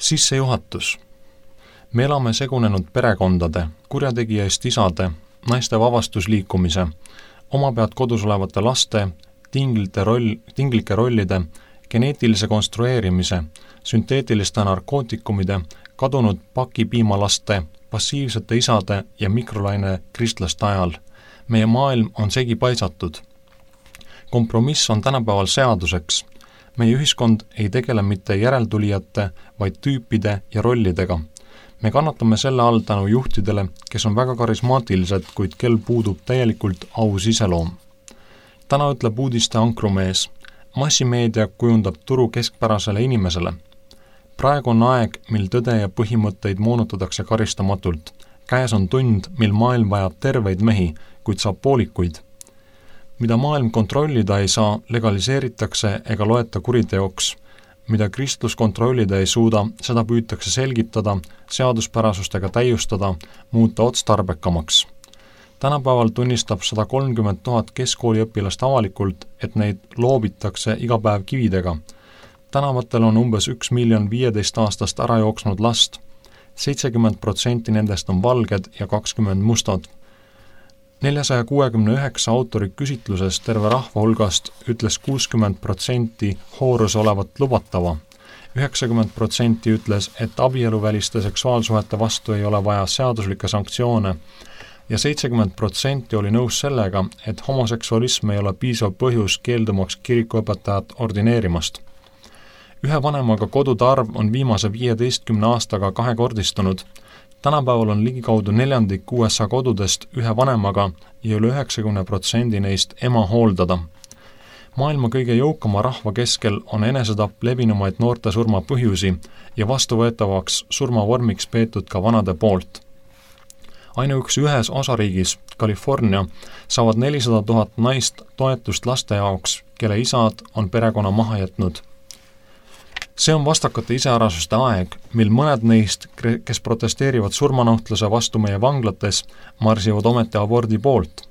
Sissejuhatus. Me elame segunenud perekondade, kurjategijaist isade, naiste vabastusliikumise, omapead kodus olevate laste, tinglike rollide, geneetilise konstrueerimise, sünteetiliste narkootikumide, kadunud pakipiimalaste, passiivsete isade ja mikrolaine kristlaste ajal. Meie maailm on segi paisatud. Kompromiss on tänapäeval seaduseks. Meie ühiskond ei tegele mitte järeltulijate, vaid tüüpide ja rollidega. Me kannatame selle all tänu juhtidele, kes on väga karismaatilised, kuid kel puudub täielikult aus iseloom. Täna ütleb uudiste ankrumees. Massimeedia kujundab turu keskpärasele inimesele. Praegu on aeg, mil tõde ja põhimõtteid moonutatakse karistamatult. Käes on tund, mil maailm vajab terveid mehi, kuid saab poolikuid. Mida maailm kontrollida ei saa, legaliseeritakse ega loeta kuriteoks. Mida kristlus kontrollida ei suuda, seda püütakse selgitada, seaduspärasustega täiustada, muuta otstarbekamaks. Tänapäeval tunnistab 130 000 keskkooliõpilast avalikult, et neid loobitakse iga päev kividega. Tänavatel on umbes 1 15 aastast ära jooksnud last. 70% nendest on valged ja 20 mustad. 469 autori küsitluses terve rahva hulgast ütles 60% hooruse olevat lubatava. 90% ütles, et abieluväliste seksuaalsuhete vastu ei ole vaja seaduslikke sanktsioone ja 70% oli nõus sellega, et homoseksualism ei ole piisav põhjus keeldumaks kirikuõpetajat ordineerimast. Ühe vanemaga kodude arv on viimase 15 aastaga kahekordistunud. Tänapäeval on ligikaudu 1/4 USA kodudest ühe vanemaga ja üle 90% neist ema hooldada. Maailma kõige jõukama rahva keskel on enesetapp levinumaid noorte surma põhjusi ja vastuvõetavaks surmavormiks peetud ka vanade poolt. Ainuüksi ühes osariigis, California, saavad 400 000 naist toetust laste jaoks, kelle isad on perekonna maha jätnud. See on vastakate iseärasuste aeg, mil mõned neist, kes protesteerivad surmanuhtluse vastu meie vanglates, marsivad ometi abordi poolt.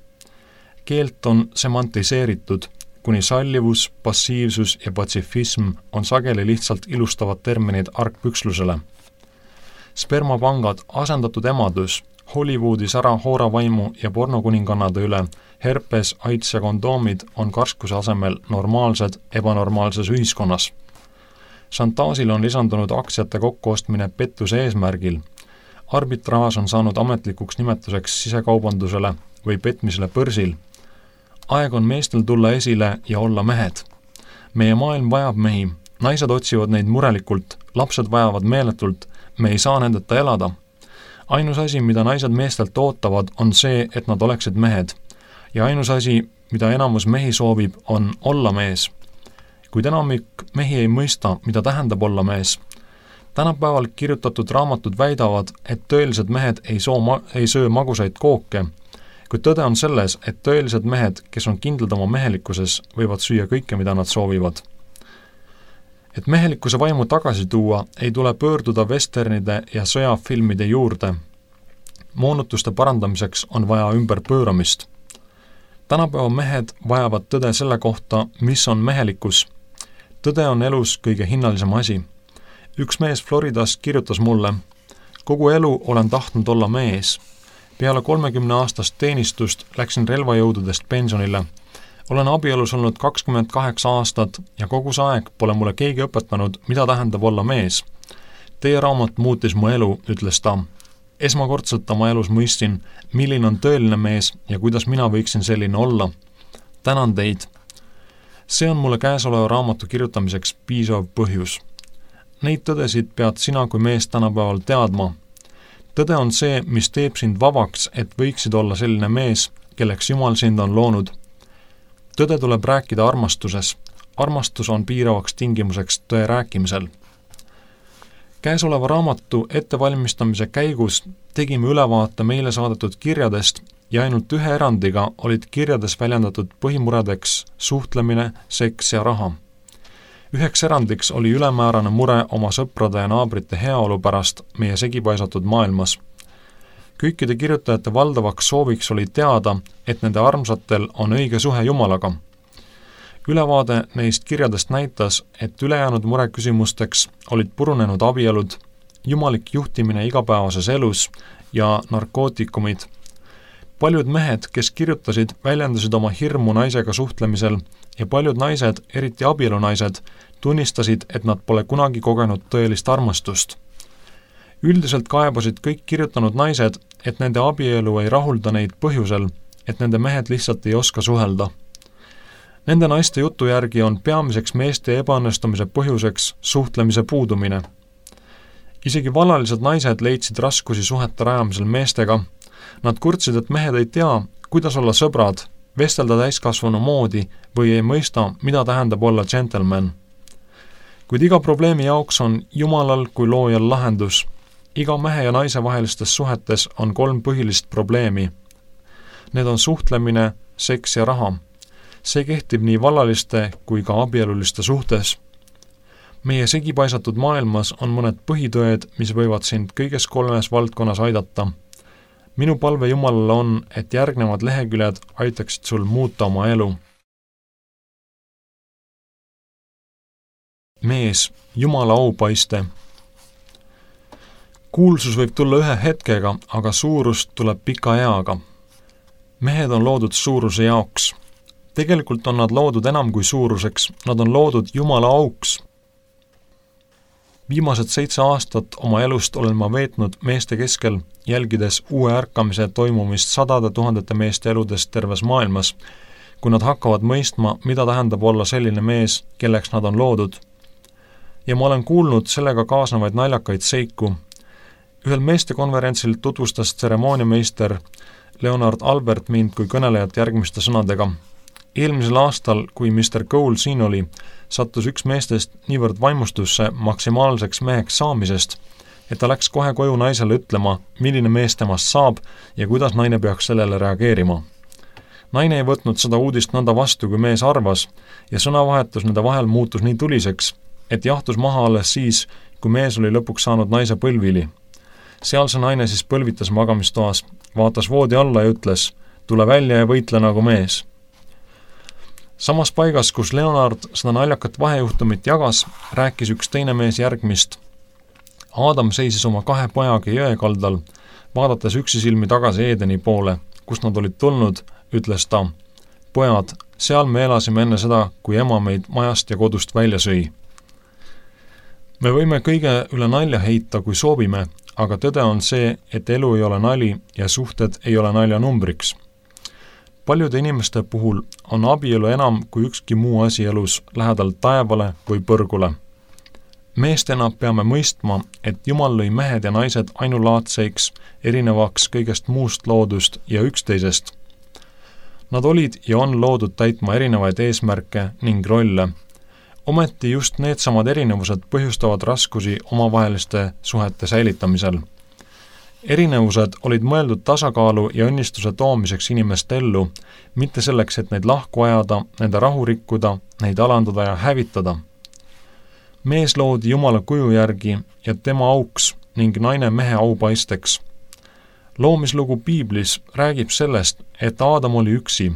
Keelt on semantiseeritud, kuni sallivus, passiivsus ja patsifism on sageli lihtsalt ilustavad terminid argpükslusele. Spermapangad, asendatud emadus, Hollywoodis ära hooravaimu ja pornokuningannade üle, herpes, AIDS ja kondoomid on karskuse asemel normaalsed ebanormaalses ühiskonnas. Šantaažil on lisandunud aktsiate kokkuostmine pettuse eesmärgil. Arbitraaž on saanud ametlikuks nimetuseks sisekaubandusele või petmisele börsil. Aeg on meestel tulla esile ja olla mehed. Meie maailm vajab mehi, naised otsivad neid murelikult, lapsed vajavad meeletult, me ei saa nendeta elada. Ainus asi, mida naised meestelt ootavad, on see, et nad oleksid mehed. Ja ainus asi, mida enamus mehi soovib, on olla mees. Kuid enamik mehi ei mõista, mida tähendab olla mees. Tänapäeval kirjutatud raamatud väidavad, et tõelised mehed ei söö magusaid kooke, kuid tõde on selles, et tõelised mehed, kes on kindlad oma mehelikkuses, võivad süüa kõike, mida nad soovivad. Et mehelikkuse vaimu tagasi tuua, ei tule pöörduda westernide ja sõjafilmide juurde. Moonutuste parandamiseks on vaja ümberpööramist. Tänapäeva mehed vajavad tõde selle kohta, mis on mehelikkus. Tõde on elus kõige hinnalisem asi. Üks mees Floridas kirjutas mulle, kogu elu olen tahtnud olla mees. Peale 30 aastast teenistust läksin relvajõududest pensionile. Olen abielus olnud 28 aastat ja kogu see aeg pole mulle keegi õpetanud, mida tähendab olla mees. Teie raamat muutis mu elu, ütles ta. Esmakordselt oma elus mõistsin, milline on tõeline mees ja kuidas mina võiksin selline olla. Tänan teid. See on mulle käesoleva raamatu kirjutamiseks piisav põhjus. Neid tõdesid pead sina kui mees tänapäeval teadma. Tõde on see, mis teeb sind vabaks, et võiksid olla selline mees, kelleks Jumal sind on loonud. Tõde tuleb rääkida armastuses. Armastus on piiravaks tingimuseks tõe rääkimisel. Käesoleva raamatu ettevalmistamise käigus tegime ülevaate meile saadetud kirjadest ja ainult ühe erandiga olid kirjades väljendatud põhimuredeks suhtlemine, seks ja raha. Üheks erandiks oli ülemäärane mure oma sõprade ja naabrite heaolu pärast meie segipaisatud maailmas. Kõikide kirjutajate valdavaks sooviks oli teada, et nende armsatel on õige suhe Jumalaga. Ülevaade neist kirjadest näitas, et ülejäänud mureküsimusteks olid purunenud abielud, jumalik juhtimine igapäevases elus ja narkootikumid. Paljud mehed, kes kirjutasid, väljendasid oma hirmu naisega suhtlemisel ja paljud naised, eriti abielunaised, tunnistasid, et nad pole kunagi kogenud tõelist armastust. Üldiselt kaebasid kõik kirjutanud naised, et nende abielu ei rahulda neid põhjusel, et nende mehed lihtsalt ei oska suhelda. Nende naiste jutu järgi on peamiseks meeste ebaõnnestumise põhjuseks suhtlemise puudumine. Isegi vallalised naised leidsid raskusi suhete rajamisel meestega. Nad kurtsid, et mehed ei tea, kuidas olla sõbrad, vestelda täiskasvanu moodi või ei mõista, mida tähendab olla džentelmen. Kuid iga probleemi jaoks on Jumalal kui loojal lahendus. Iga mehe ja naise vahelistes suhetes on 3 põhilist probleemi. Need on suhtlemine, seks ja raha. See kehtib nii vallaliste kui ka abieluliste suhtes. Meie segipaisatud maailmas on mõned põhitõed, mis võivad sind kõiges 3 valdkonnas aidata. Minu palve Jumalale on, et järgnevad leheküljed aitaksid sul muuta oma elu. Mees, Jumala aupaiste. Kuulsus võib tulla ühe hetkega, aga suurust tuleb pika eaga. Mehed on loodud suuruse jaoks. Tegelikult on nad loodud enam kui suuruseks, nad on loodud Jumala auks. Viimased 7 aastat oma elust olen ma veetnud meeste keskel, jälgides uue ärkamise toimumist 100 000 meeste eludest terves maailmas, kui nad hakkavad mõistma, mida tähendab olla selline mees, kelleks nad on loodud. Ja ma olen kuulnud sellega kaasnevaid naljakaid seiku. Ühel meestekonverentsil tutvustas tseremooniameister Leonard Albert mind kui kõnelejat järgmiste sõnadega. Eelmisel aastal, kui Mr. Cole siin oli, sattus üks meestest niivõrd vaimustusse maksimaalseks meheks saamisest, et ta läks kohe koju naisele ütlema, milline mees temast saab ja kuidas naine peaks sellele reageerima. Naine ei võtnud seda uudist nõnda vastu, kui mees arvas, ja sõnavahetus nende vahel muutus nii tuliseks, et jahtus maha alles siis, kui mees oli lõpuks saanud naise põlvili. Seal see naine siis põlvitas magamistoas, vaatas voodi alla ja ütles, tule välja ja võitle nagu mees. Samas paigas, kus Leonard seda naljakat vahejuhtumit jagas, rääkis üks teine mees järgmist. Aadam seisis oma 2 pojaga jõe kaldal, vaadates üksisilmi tagasi Eedeni poole, kust nad olid tulnud, ütles ta, pojad, seal me elasime enne seda, kui ema meid majast ja kodust välja sõi. Me võime kõige üle nalja heita, kui soovime, aga tõde on see, et elu ei ole nali ja suhted ei ole naljanumbriks. Paljude inimeste puhul on abielu enam kui ükski muu asi elus lähedal taevale või põrgule. Meestena peame mõistma, et Jumal lõi mehed ja naised ainulaadseiks, erinevaks kõigest muust loodust ja üksteisest. Nad olid ja on loodud täitma erinevaid eesmärke ning rolle. Ometi just needsamad erinevused põhjustavad raskusi omavaheliste suhete säilitamisel. Erinevused olid mõeldud tasakaalu ja õnnistuse toomiseks inimeste ellu, mitte selleks, et neid lahku ajada, nende rahu rikkuda, neid alandada ja hävitada. Mees loodi Jumala kuju järgi ja tema auks ning naine mehe aupaisteks. Loomislugu Piiblis räägib sellest, et Aadam oli üksi.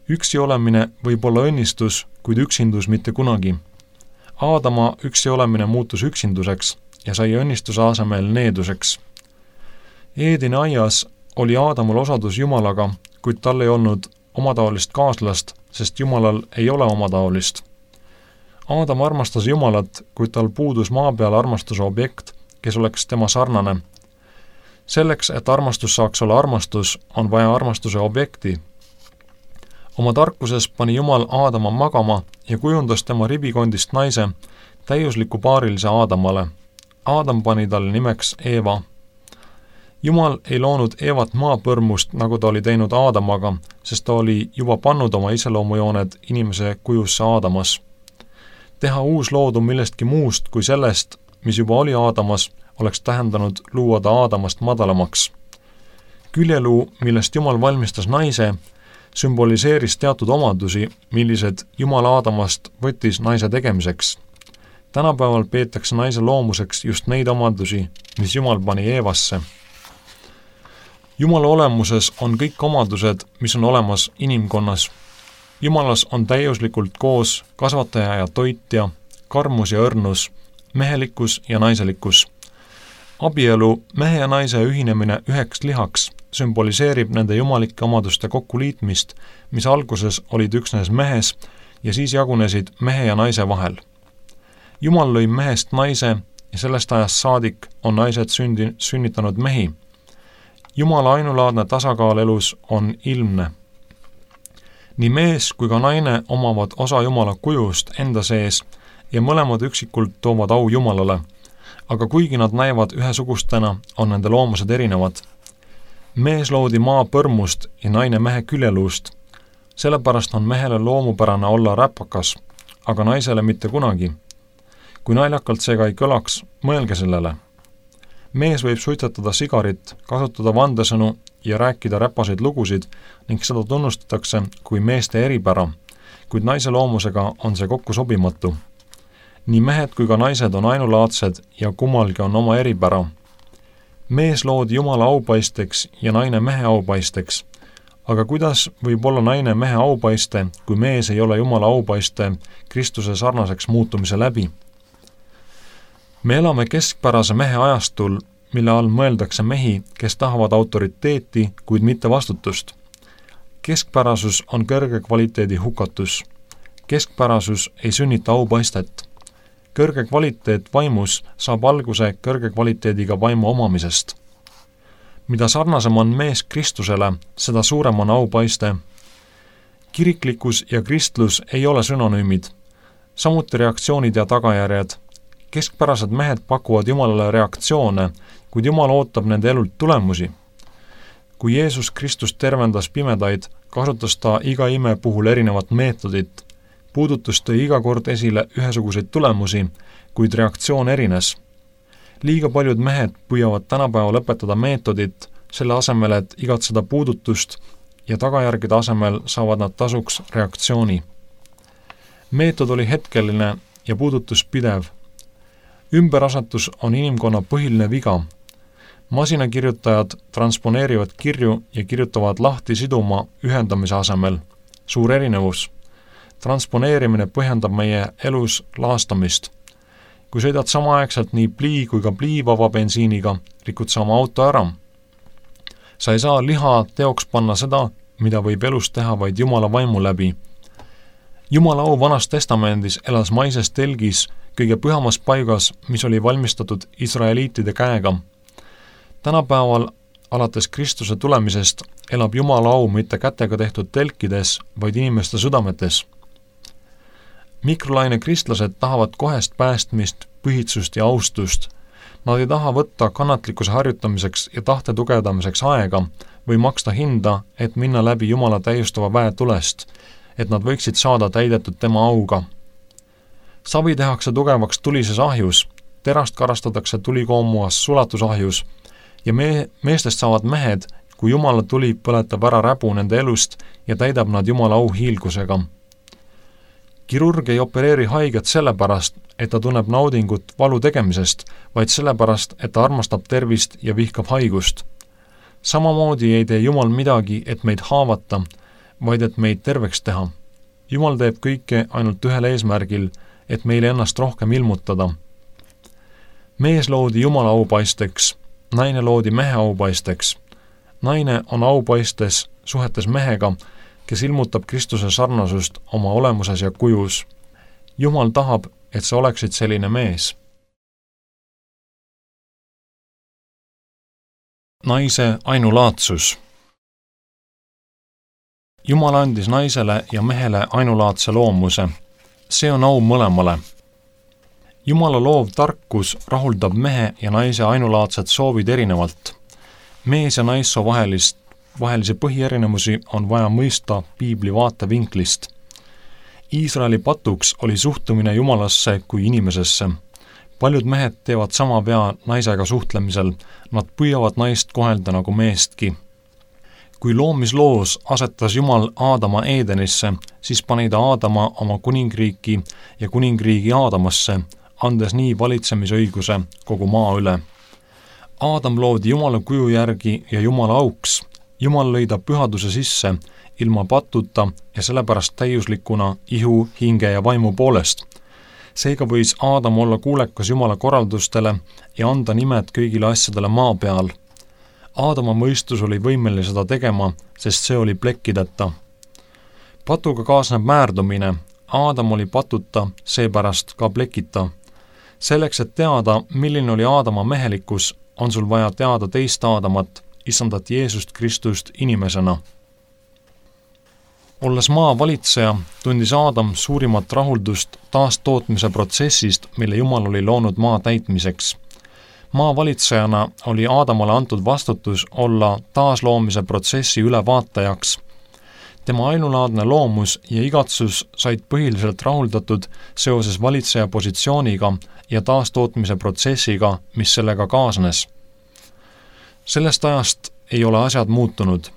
Üksi olemine võib olla õnnistus, kuid üksindus mitte kunagi. Aadama üksi olemine muutus üksinduseks ja sai õnnistuse asemel needuseks. Eedini aias oli Aadamul osadus Jumalaga, kuid tal ei olnud omataolist kaaslast, sest Jumalal ei ole omataolist. Aadam armastas Jumalat, kuid tal puudus maa peal armastuse objekt, kes oleks tema sarnane. Selleks, et armastus saaks olla armastus, on vaja armastuse objekti. Oma tarkuses pani Jumal Aadama magama ja kujundas tema ribikondist naise, täiusliku paarilise Aadamale. Aadam pani talle nimeks Eeva. Jumal ei loonud Eevat maapõrmust, nagu ta oli teinud Aadamaga, sest ta oli juba pannud oma iseloomujooned inimese kujusse Aadamas. Teha uus loodu millestki muust kui sellest, mis juba oli Aadamas, oleks tähendanud luua ta Aadamast madalamaks. Küljeluu, millest Jumal valmistas naise, sümboliseeris teatud omadusi, millised Jumal Aadamast võttis naise tegemiseks. Tänapäeval peetakse naise loomuseks just neid omadusi, mis Jumal pani Eevasse. Jumala olemuses on kõik omadused, mis on olemas inimkonnas. Jumalas on täiuslikult koos kasvataja ja toitja, karmus ja õrnus, mehelikkus ja naiselikkus. Abielu, mehe ja naise ühinemine üheks lihaks, sümboliseerib nende jumalike omaduste kokkuliitmist, mis alguses olid üksnes mehes ja siis jagunesid mehe ja naise vahel. Jumal lõi mehest naise ja sellest ajast saadik on naised sünnitanud mehi. Jumala ainulaadne tasakaal elus on ilmne. Nii mees kui ka naine omavad osa Jumala kujust enda sees ja mõlemad üksikult toovad au Jumalale, aga kuigi nad näivad ühesugustena, on nende loomused erinevad. Mees loodi maa põrmust ja naine mehe küljeluust. Sellepärast on mehele loomupärane olla räpakas, aga naisele mitte kunagi. Kui naljakalt seega ei kõlaks, mõelge sellele. Mees võib suitsetada sigarit, kasutada vandesõnu ja rääkida räpaseid lugusid ning seda tunnustatakse kui meeste eripära, kuid naise loomusega on see kokku sobimatu. Nii mehed kui ka naised on ainulaadsed ja kummalgi on oma eripära. Mees loodi Jumala aupaisteks ja naine mehe aupaisteks, aga kuidas võib olla naine mehe aupaiste, kui mees ei ole Jumala aupaiste Kristuse sarnaseks muutumise läbi? Me elame keskpärase mehe ajastul, mille all mõeldakse mehi, kes tahavad autoriteeti, kuid mitte vastutust. Keskpärasus on kõrge kvaliteedi hukatus. Keskpärasus ei sünnita aupaistet. Kõrge kvaliteet vaimus saab alguse kõrge kvaliteediga vaimu omamisest. Mida sarnasem on mees Kristusele, seda suurem on aupaiste. Kiriklikkus ja kristlus ei ole synonüümid, samuti reaktsioonid ja tagajärjed. Keskpärased mehed pakuvad Jumalale reaktsioone, kuid Jumal ootab nende elult tulemusi. Kui Jeesus Kristus tervendas pimedaid, kasutas ta iga ime puhul erinevat meetodit. Puudutus tõi iga kord esile ühesuguseid tulemusi, kuid reaktsioon erines. Liiga paljud mehed püüavad tänapäeval õpetada meetodit, selle asemel, et igatseda puudutust ja tagajärgede asemel saavad nad tasuks reaktsiooni. Meetod oli hetkeline ja puudutus pidev. Ümberasetus on inimkonna põhiline viga. Masinakirjutajad transponeerivad kirju ja kirjutavad lahti siduma ühendamise asemel. Suur erinevus. Transponeerimine põhjendab meie elus laastamist. Kui sõidad samaaegselt nii plii kui ka pliivaba bensiiniga, rikud sama auto ära. Sa ei saa liha teoks panna seda, mida võib elus teha vaid Jumala vaimu läbi. Jumala au Vanas Testamendis elas maises telgis kõige pühamas paigas, mis oli valmistatud israeliitide käega. Tänapäeval, alates Kristuse tulemisest, elab Jumala au mitte kätega tehtud telkides, vaid inimeste südametes. Mikrolaine kristlased tahavad kohest päästmist, põhitsust ja austust. Nad ei taha võtta kannatlikkuse harjutamiseks ja tahte tugevdamiseks aega või maksta hinda, et minna läbi Jumala täiustava väe tulest, et nad võiksid saada täidetud tema auga. Savi tehakse tugevaks tulises ahjus, terast karastatakse tulikoomuas sulatusahjus ja meestest saavad mehed, kui Jumala tuli põletab ära räbu nende elust ja täidab nad Jumala au hiilgusega. Kirurg ei opereeri haiget sellepärast, et ta tunneb naudingut valu tegemisest, vaid sellepärast, et ta armastab tervist ja vihkab haigust. Samamoodi ei tee Jumal midagi, et meid haavata, vaid et meid terveks teha. Jumal teeb kõike ainult ühel eesmärgil, et meile ennast rohkem ilmutada. Mees loodi Jumala aupaisteks, naine loodi mehe aupaisteks. Naine on aupaistes suhetes mehega, kes ilmutab Kristuse sarnasust oma olemuses ja kujus. Jumal tahab, et sa oleksid selline mees. Naise ainulaadsus. Jumal andis naisele ja mehele ainulaadse loomuse. See on au mõlemale. Jumala loov tarkus rahuldab mehe ja naise ainulaadsed soovid erinevalt. Mees ja naissoo vahelisi põhierinevusi on vaja mõista piibli vaatevinklist. Iisraeli patuks oli suhtumine Jumalasse kui inimesesse. Paljud mehed teevad sama vea naisega suhtlemisel, nad püüavad naist kohelda nagu meestki. Kui loomisloos asetas Jumal Aadama Eedenisse, siis pani ta Aadama oma kuningriiki ja kuningriigi Aadamasse, andes nii valitsemisõiguse kogu maa üle. Aadam loodi Jumala kuju järgi ja Jumala auks. Jumal lõi ta pühaduse sisse, ilma patuta ja sellepärast täiuslikuna ihu, hinge ja vaimu poolest. Seega võis Aadam olla kuulekas Jumala korraldustele ja anda nimed kõigile asjadele maa peal. Aadama mõistus oli võimeline seda tegema, sest see oli plekkideta. Patuga kaasneb määrdumine. Aadam oli patuta, seepärast ka plekita. Selleks, et teada, milline oli Aadama mehelikkus, on sul vaja teada teist Aadamat, isandat Jeesust Kristust inimesena. Olles maa valitseja, tundis Aadam suurimat rahuldust taastootmise protsessist, mille Jumal oli loonud maa täitmiseks. Maa valitsejana oli Aadamale antud vastutus olla taasloomise protsessi ülevaatajaks. Tema ainulaadne loomus ja igatsus said põhiliselt rahuldatud seoses valitseja positsiooniga ja taastootmise protsessiga, mis sellega kaasnes. Sellest ajast ei ole asjad muutunud.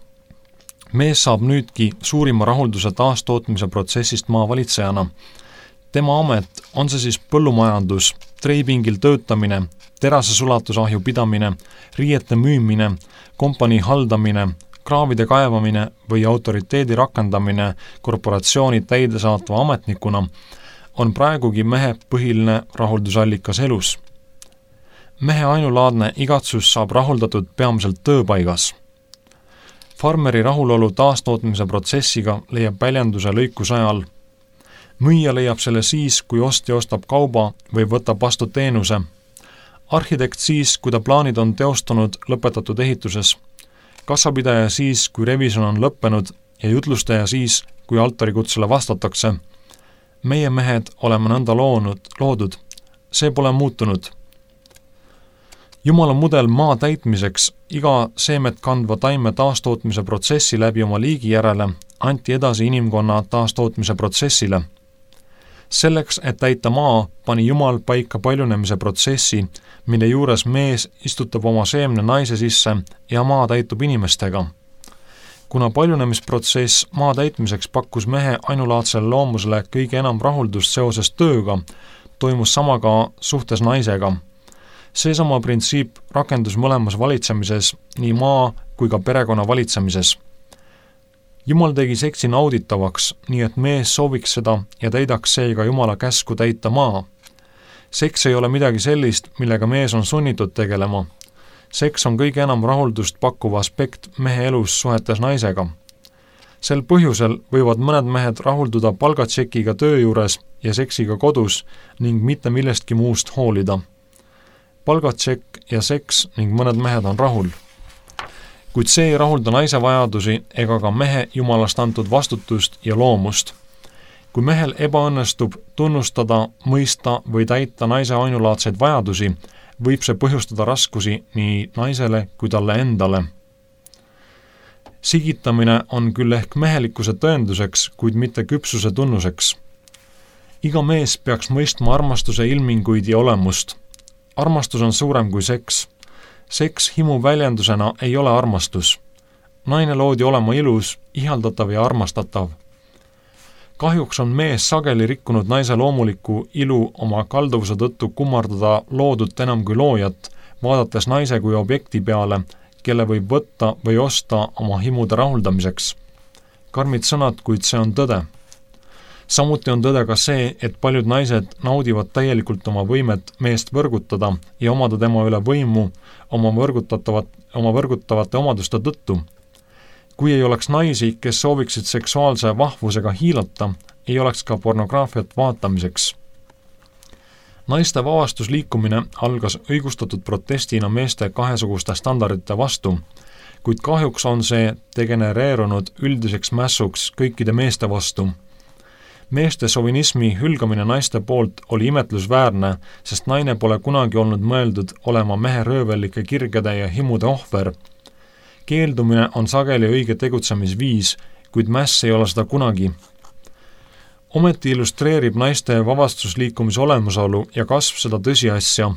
Mees saab nüüdki suurima rahulduse taastootmise protsessist maa valitsejana. Tema amet, on see siis põllumajandus, treipingil töötamine, terasesulatusahju pidamine, riiete müümine, kompanii haldamine, kraavide kaevamine või autoriteedi rakendamine korporatsiooni täidesaatva ametnikuna, on praegugi mehe põhiline rahuldusallikas elus. Mehe ainulaadne igatsus saab rahuldatud peamiselt tööpaigas. Farmeri rahulolu taastootmise protsessiga leiab väljenduse lõikuse ajal. Müüja leiab selle siis, kui ostja ostab kauba või võtab vastu teenuse. Arhitekt siis, kui ta plaanid on teostunud lõpetatud ehituses. Kassapidaja siis, kui revisjon on lõppenud ja jutlustaja siis, kui altarikutsele vastatakse. Meie mehed oleme nõnda loodud. See pole muutunud. Jumala mudel maa täitmiseks iga seemet kandva taime taastootmise protsessi läbi oma liigi järele anti edasi inimkonna taastootmise protsessile. Selleks, et täita maa, pani Jumal paika paljunemise protsessi, mille juures mees istutab oma seemne naise sisse ja maa täitub inimestega. Kuna paljunemisprotsess maa täitmiseks pakkus mehe ainulaadsele loomusele kõige enam rahuldust seoses tööga, toimus sama ka suhtes naisega. Seesama printsiip rakendus mõlemas valitsemises, nii maa kui ka perekonna valitsemises. Jumal tegi seksi nauditavaks, nii et mees sooviks seda ja täidaks seega Jumala käsku täita maa. Seks ei ole midagi sellist, millega mees on sunnitud tegelema. Seks on kõige enam rahuldust pakkuva aspekt mehe elus suhetes naisega. Sel põhjusel võivad mõned mehed rahulduda palgatšekiga töö juures ja seksiga kodus ning mitte millestki muust hoolida. Palgatšekk ja seks ning mõned mehed on rahul. Kuid see ei rahulda naise vajadusi ega ka mehe Jumalast antud vastutust ja loomust. Kui mehel ebaõnnestub tunnustada, mõista või täita naise ainulaadseid vajadusi, võib see põhjustada raskusi nii naisele kui talle endale. Sigitamine on küll ehk mehelikkuse tõenduseks, kuid mitte küpsuse tunnuseks. Iga mees peaks mõistma armastuse ilminguid ja olemust. Armastus on suurem kui seks. Seks himu väljendusena ei ole armastus. Naine loodi olema ilus, ihaldatav ja armastatav. Kahjuks on mees sageli rikkunud naise loomuliku ilu oma kalduvuse tõttu kummardada loodut enam kui loojat, vaadates naise kui objekti peale, kelle võib võtta või osta oma himude rahuldamiseks. Karmid sõnad, kuid see on tõde. Samuti on tõde ka see, et paljud naised naudivad täielikult oma võimet meest võrgutada ja omada tema üle võimu oma võrgutavate omaduste tõttu. Kui ei oleks naisi, kes sooviksid seksuaalse vahvusega hiilata, ei oleks ka pornograafiat vaatamiseks. Naiste vabastusliikumine algas õigustatud protestina meeste kahesuguste standardite vastu, kuid kahjuks on see degenereerunud üldiseks mässuks kõikide meeste vastu. Meeste sovinismi hülgamine naiste poolt oli imetlusväärne, sest naine pole kunagi olnud mõeldud olema mehe röövellike kirgede ja himude ohver. Keeldumine on sageli õige tegutsemisviis, kuid mäss ei ole seda kunagi. Ometi illustreerib naiste vabastusliikumise olemasolu ja kasv seda tõsiasja.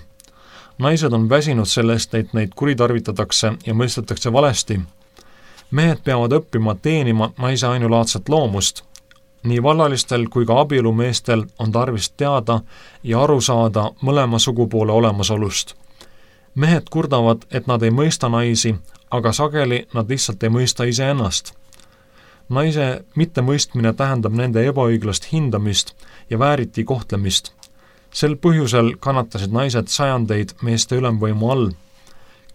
Naised on väsinud sellest, et neid kuritarvitatakse ja mõistetakse valesti. Mehed peavad õppima teenima naise ainulaadset loomust. Nii vallalistel kui ka abielumeestel on tarvis teada ja aru saada mõlema sugupoole olemasolust. Mehed kurdavad, et nad ei mõista naisi, aga sageli nad lihtsalt ei mõista iseennast. Naise mittemõistmine tähendab nende ebaõiglast hindamist ja vääriti kohtlemist. Sel põhjusel kannatasid naised sajandeid meeste ülemvõimu all.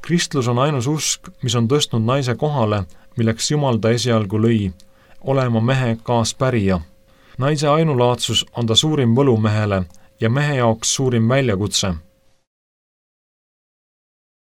Kristlus on ainus usk, mis on tõstnud naise kohale, milleks Jumal ta esialgu lõi, olema mehe kaaspärija. Naise ainulaadsus on ta suurim võlu mehele ja mehe jaoks suurim väljakutse.